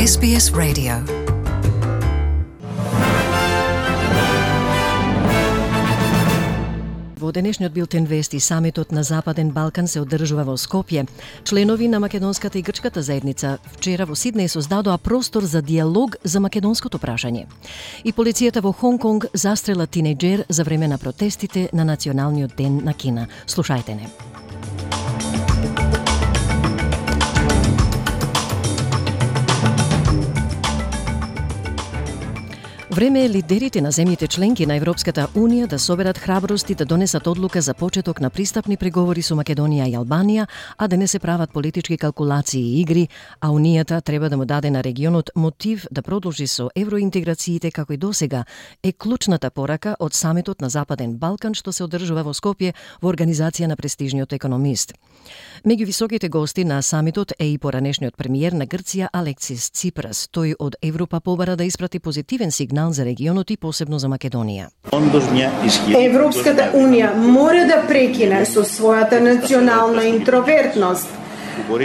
SBS Radio. Во денешниот билтен вести, самитот на Западен Балкан се одржува во Скопје. Членови на македонската и грчката заедница вчера во Сиднеј создадоа простор за диалог за македонското прашање. И полицијата во Хонг Конг застрела тинејџер за време на протестите на Националниот ден на Кина. Слушајте не. Време е лидерите на земјите членки на Европската Унија да соберат храброст и да донесат одлука за почеток на пристапни преговори со Македонија и Албанија, а да не се прават политички калкулации и игри, а Унијата треба да му даде на регионот мотив да продолжи со евроинтеграциите како и досега, е клучната порака од самитот на Западен Балкан што се одржува во Скопје во организација на престижниот економист. Меѓу високите гости на самитот е и поранешниот премиер на Грција Алексис Ципрас. Тој од Европа побара да испрати позитивен сигнал за регионот и посебно за Македонија. Европската Унија мора да прекине со својата национална интровертност.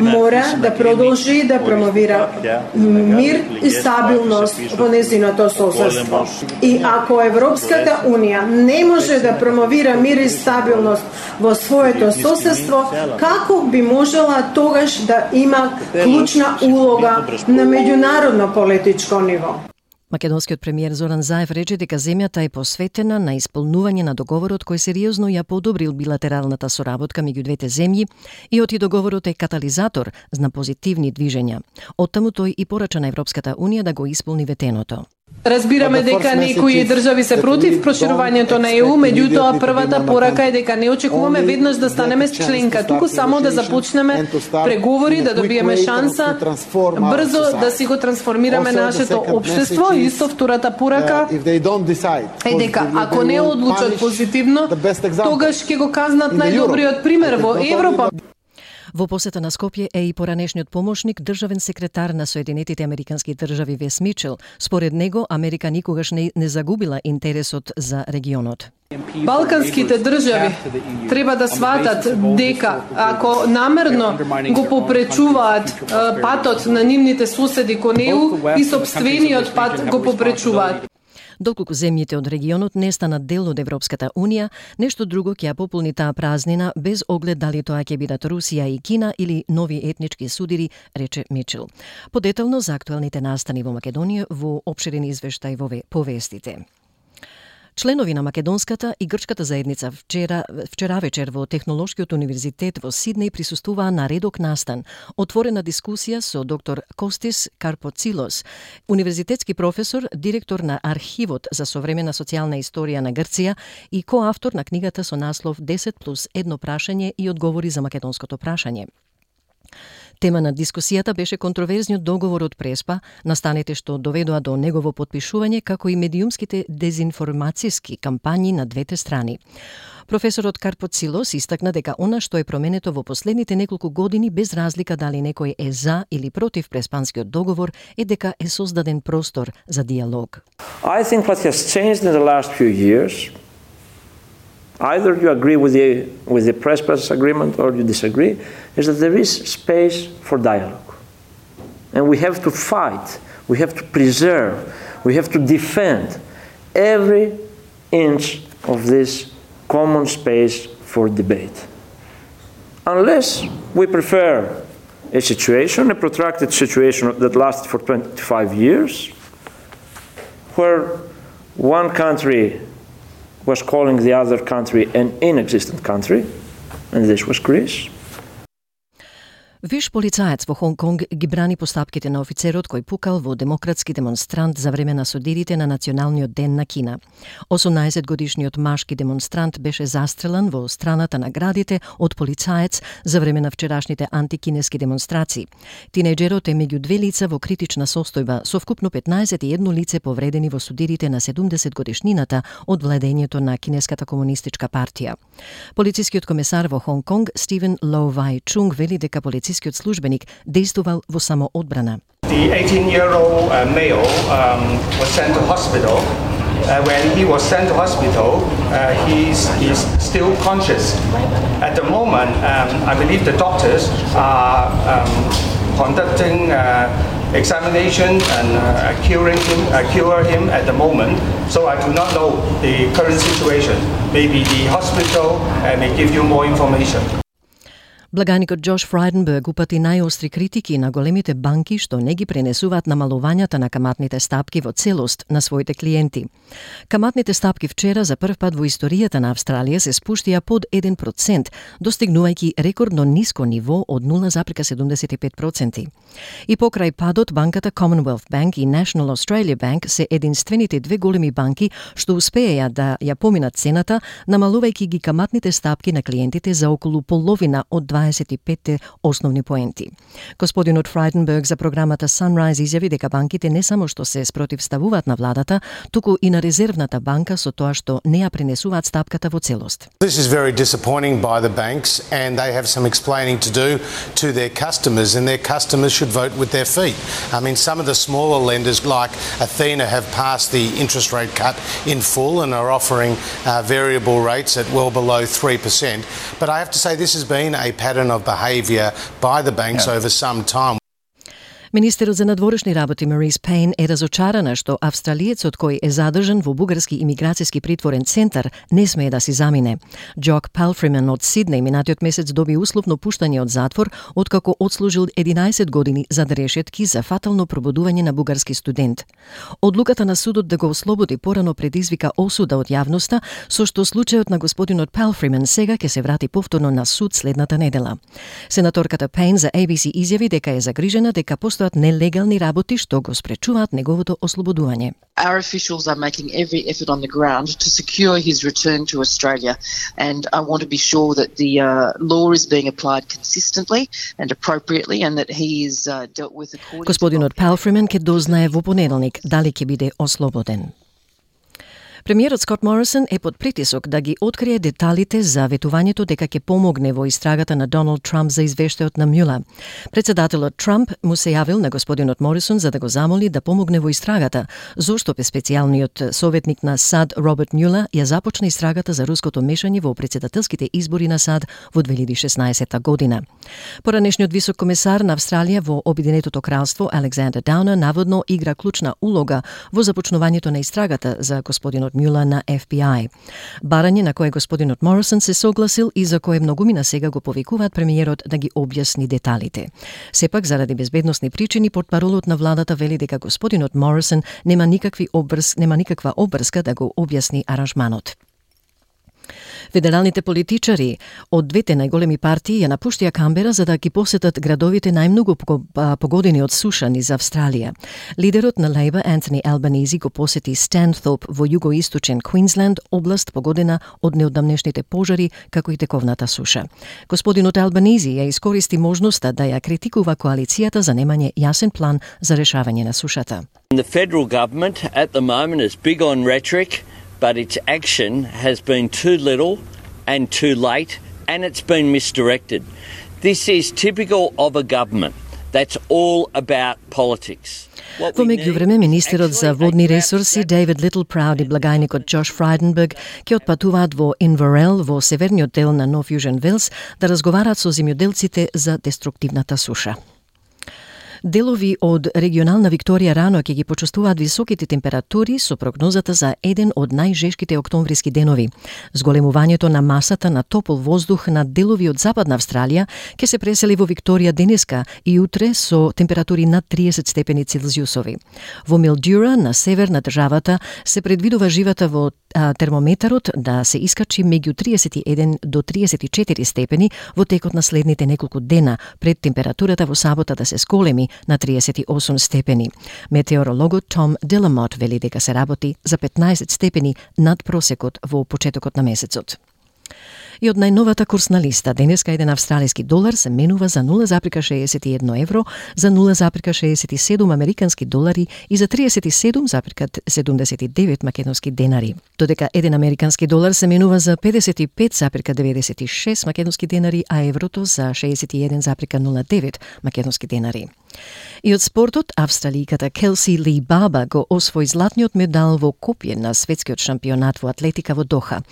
Мора да продолжи да промовира мир и стабилност во нејзиното соседство. И ако Европската Унија не може да промовира мир и стабилност во своето соседство, како би можела тогаш да има клучна улога на меѓународно политичко ниво? Македонскиот премиер Зоран Заев рече дека земјата е посветена на исполнување на договорот кој сериозно ја подобрил билатералната соработка меѓу двете земји и оти договорот е катализатор на позитивни движења. Оттаму тој и порача на Европската Унија да го исполни ветеното. Разбираме дека некои држави се против проширувањето на ЕУ, меѓутоа првата порака е дека не очекуваме веднаш да станеме членка, туку само да започнеме преговори, да добиеме шанса брзо да си го трансформираме нашето општество. И исто втората порака е дека ако не одлучат позитивно, тогаш ќе го казнат најдобриот пример во Европа. Во посета на Скопје е и поранешниот помошник државен секретар на Соединетите Американски држави Вес Мичел. Според него, Америка никогаш не загубила интересот за регионот. Балканските држави треба да сватат дека ако намерно го попречуваат патот на нивните соседи кон ЕУ, и сопствениот пат го попречуваат. Доколку земјите од регионот не станат дел од Европската Унија, нешто друго ќе ја пополни таа празнина без оглед дали тоа ќе бидат Русија и Кина или нови етнички судири, рече Мичел. Подетално за актуелните настани во Македонија во опширен извештај во повестите. Членови на македонската и грчката заедница вчера вечер во Технолошкиот универзитет во Сиднеј присуствуваа на редок настан, отворена дискусија со доктор Костис Карпоцилос, универзитетски професор, директор на Архивот за современа социјална историја на Грција и коавтор на книгата со наслов 10+1 прашање и одговори за македонското прашање. Тема на дискусијата беше контроверзниот договор од Преспа, настаните што доведоа до негово потпишување, како и медиумските дезинформацијски кампањи на двете страни. Професорот Карпоцилос истакна дека она што е променето во последните неколку години, без разлика дали некој е за или против Преспанскиот договор, е дека е создаден простор за диалог. I think what has changed in the last few years, either you agree with the Prespas agreement or you disagree, is that there is space for dialogue. And we have to fight, we have to preserve, we have to defend every inch of this common space for debate. Unless we prefer a situation, a protracted situation that lasted for 25 years, where one country was calling the other country an inexistent country, and this was Greece. Виш полицаец во Хонг Конг ги брани постапките на офицерот кој пукал во демократски демонстрант за време на судирите на Националниот ден на Кина. 18-годишниот машки демонстрант беше застрелан во страната на градите од полицаец за време на вчерашните антикинески демонстрации. Тинејџерот е меѓу две лица во критична состојба, со вкупно 15 лице повредени во судирите на 70-годишнината од владењето на Кинеската комунистичка партија. Полицискиот комесар во Хонг Конг Стивен Лоу Вај Чунг вели дека полицискиот службеник действувал во самоодбрана. The 18-year-old male was sent to hospital. When he was sent to hospital, he's still conscious. At the moment, I believe the doctors are conducting examination and cure him at the moment. So I do not know the current situation. Maybe the hospital may give you more information. Благаникот Джош Фрайденберг упати најостри критики на големите банки што не ги пренесуваат намалувањата на каматните стапки во целост на своите клиенти. Каматните стапки вчера за прв пат во историјата на Австралија се спуштија под 1%, достигнувајќи рекордно ниско ниво од 0,75%. И покрај падот, банката Commonwealth Bank и National Australia Bank се единствените две големи банки што успееја да ја поминат цената, намалувајќи ги каматните стапки на клиентите за околу половина од 25 основни поенти. Господинот Фрайденберг за програмата Sunrise изјави дека банките не само што се спротивставуваат на владата, туку и на резервната банка со тоа што не ја пренесуваат стапката во целост. This is very disappointing by the banks and they have some explaining to do to their customers and their customers should vote with their feet. I mean, some of the smaller lenders like Athena have passed the interest rate cut in full and are offering variable rates at well below 3%. But I have to say this has been a pattern of behaviour by the banks over some time. Министерот за надворешни работи Марис Пейн е разочарана што австралиецот кој е задржан во бугарски имиграцијски притворен центар не смее да си замине. Джок Палфримен од Сиднеј минатиот месец доби условно пуштање од затвор откако одслужил 11 години за решетки за фатално пробудување на бугарски студент. Одлуката на судот да го ослободи порано предизвика осуда од јавноста, со што случајот на господинот Палфримен сега ќе се врати повторно на суд следната недела. Сенаторката Пейн за ABC изјави дека е загрижена дека нелегални работи што го спречуваат неговото ослободување. Our officials are making every effort on the ground to secure his return to Australia, and I want to be sure that the law is being applied consistently and appropriately and that he is dealt with according to... Господинот Палфримен ќе дознае во понеделник дали ќе биде ослободен. Премиерот Скот Морисон е под притисок да ги открие деталите за ветувањето дека ќе помогне во истрагата на Доналд Трамп за извештајот на Мюлер. Председателот Трамп му се јавил на господинот Морисон за да го замоли да помогне во истрагата, зошто специјалниот советник на САД Роберт Мюлер ја започна истрагата за руското мешање во претседателските избори на САД во 2016 година. Поранешниот висок комесар на Австралија во Обединетото кралство Александер Даунер наводно игра клучна улога во започнувањето на истрагата за господинот Мюлер на FBI. Барање на кое господинот Морисон се согласил и за кое многумина сега го повикуваат премиерот да ги објасни деталите. Сепак, заради безбедносни причини, портпаролот на владата вели дека господинот Морисон нема никаква обврска да го објасни аранжманот. Федералните политичари од двете најголеми партии ја напуштија Камбера за да ги посетат градовите најмногу погодени од суша низ Австралија. Лидерот на Лейбор Антони Албанизи го посети Станthorpe во југоисточен Квинсленд, област погодена од неодамнешните пожари како и тековната суша. Господинот Албанизи ја искористи можноста да ја критикува коалицијата за немање јасен план за решавање на сушата. The federal government at the moment is big on rhetoric, but its action has been too little and too late, and it's been misdirected. This is typical of a government that's all about politics. Во меѓувреме, министерот за водни ресурси Дейвид Литлпрауд и благајникот Джош Фрайденберг ќе отпатуваат во Инверел во северниот дел на Нов Јужен Велс да разговараат со земјоделците за деструктивната суша. Делови од регионална Викторија рано ќе ги почувствуваат високите температури со прогнозата за еден од најжешките октомвриски денови. Зголемувањето на масата на топол воздух на делови од Западна Австралија ќе се пресели во Викторија денеска и утре со температури над 30 степени Целзиусови. Во Милдюра, на север на државата, се предвидува живата во термометарот да се искачи меѓу 31 до 34 степени во текот на следните неколку дена, пред температурата во сабота да се сколеми на 38 степени. Метеорологот Том Деламот вели дека се работи за 15 степени над просекот во почетокот на месецот. И од најновата курсна листа, денеска еден австралиски долар се менува за 0,61 евро, за 0,67 американски долари и за 37,79 македонски денари. Додека еден американски долар се менува за 55,96 македонски денари, а еврото за 61,09 македонски денари. И од спортот, австралијката Келси Ли Баба го освои златниот медал во копје на светскиот шампионат во атлетика во Доха.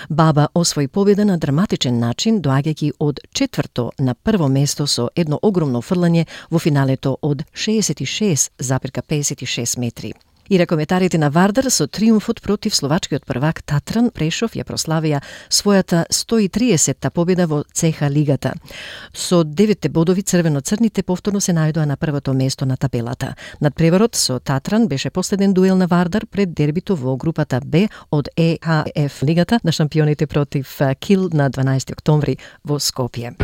Баба освои победа на драматичен начин, доаѓајќи од 4-то на прво место со едно огромно фрлање во финалето од 66,56 метри. И ракометарите на Вардар со триумфот против словачкиот првак Татран Прешов ја прославија својата 130-та победа во ЦХ лигата. Со 9 бодови црвено-црните повторно се најдоа на првото место на табелата. Надпреварот со Татран беше последен дуел на Вардар пред дербито во групата Б од ЕХФ лигата на шампионите против Кил на 12 октомври во Скопје.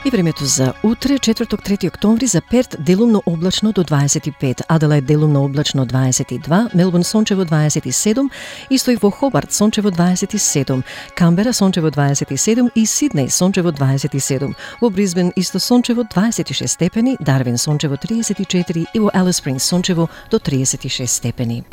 И времето за утре, четврток 3 октомври, за Перт делумно облачно до 25, Аделајд делумно облачно 22, Мелбурн сончево 27, исто и во Хобарт сончево 27, Камбера сончево 27 и Сиднеј сончево 27. Во Брисбен исто сончево 26 степени, Дарвин сончево 34 и во Алис Спрингс сончево до 36 степени.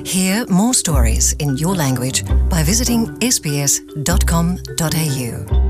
Hear more stories in your language by visiting sbs.com.au.